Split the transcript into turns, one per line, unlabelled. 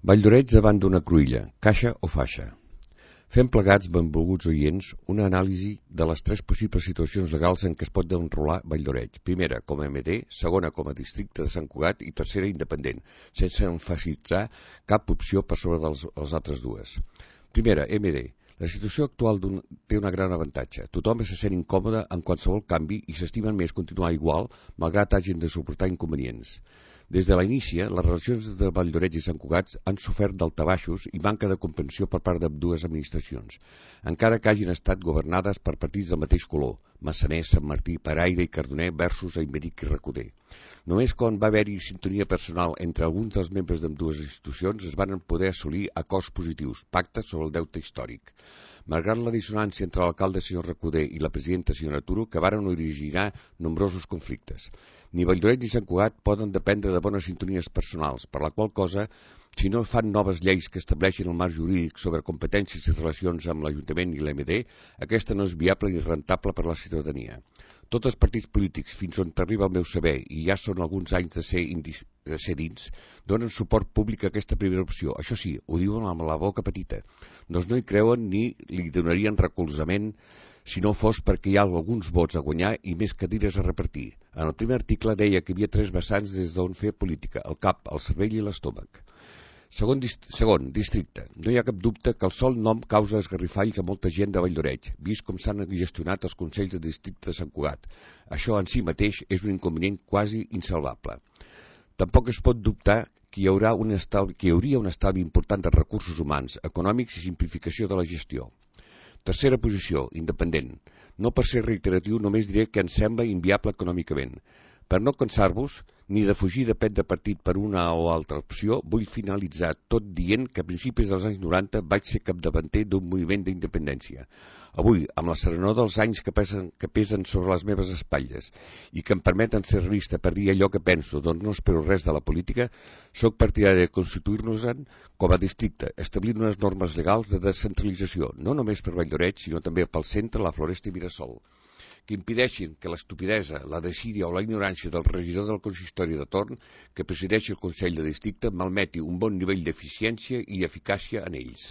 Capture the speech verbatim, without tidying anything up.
Valldoreix davant d'una cruïlla, caixa o faixa. Fem plegats, benvolguts oients, una anàlisi de les tres possibles situacions legals en què es pot enrolar Valldoreix. Primera, com a M D, segona, com a districte de Sant Cugat i tercera, independent, sense emfasitzar cap opció per sobre de les, les altres dues. Primera, M D. La situació actual té un gran avantatge. Tothom se sent incòmode en qualsevol canvi i s'estimen més continuar igual, malgrat hagin de suportar inconvenients. Des de l'inici, les relacions de Valldoreix i Sant Cugat han sofert daltabaixos i manca de comprensió per part d'ambdues administracions, encara que hagin estat governades per partits del mateix color, Massaners, Sant Martí, Paraire i Cardoner versus Aymeric i Recoder. Només quan va haver-hi sintonia personal entre alguns dels membres d'ambdues institucions es van poder assolir acords positius, pactes sobre el deute històric. Malgrat la dissonància entre l'alcalde senyor Recoder i la presidenta senyora Turo, que varen originar nombrosos conflictes. Ni Valldoreix ni Sant Cugat poden dependre de bones sintonies personals, per la qual cosa, si no fan noves lleis que estableixin el marc jurídic sobre competències i relacions amb l'Ajuntament i l'M D, aquesta no és viable ni rentable per a la ciutadania. Tots els partits polítics, fins on t'arriba el meu saber, i ja són alguns anys de ser, indis, de ser dins, donen suport públic a aquesta primera opció. Això sí, ho diuen amb la boca petita. Doncs no hi creuen ni li donarien recolzament si no fos perquè hi ha alguns vots a guanyar i més cadires a repartir. En el primer article deia que hi havia tres vessants des d'on fer política, el cap, el cervell i l'estómac. Segon, dist segon, districte. No hi ha cap dubte que el sol nom causa esgarrifalls a molta gent de Valldoreix, vist com s'han gestionat els consells de districte de Sant Cugat. Això en si mateix és un inconvenient quasi insalvable. Tampoc es pot dubtar que hi, haurà un estalvi, que hi hauria un estalvi important de recursos humans, econòmics i simplificació de la gestió. Tercera posició, independent. No per ser reiteratiu, només diré que em sembla inviable econòmicament. Per no cansar-vos, ni de fugir de pet de partit per una o altra opció, vull finalitzar tot dient que a principis dels anys noranta vaig ser capdavanter d'un moviment d'independència. Avui, amb la serenor dels anys que pesen, que pesen sobre les meves espatlles i que em permeten ser realista per dir allò que penso, doncs no espero res de la política, sóc partidari de constituir-nos-en com a districte, establint unes normes legals de descentralització, no només per Valldoreix, sinó també pel centre, la Floresta i Mirasol, que impedeixin que l'estupidesa, la desídia o la ignorància del regidor del consistori de torn que presideix el Consell de Districte malmeti un bon nivell d'eficiència i eficàcia en ells.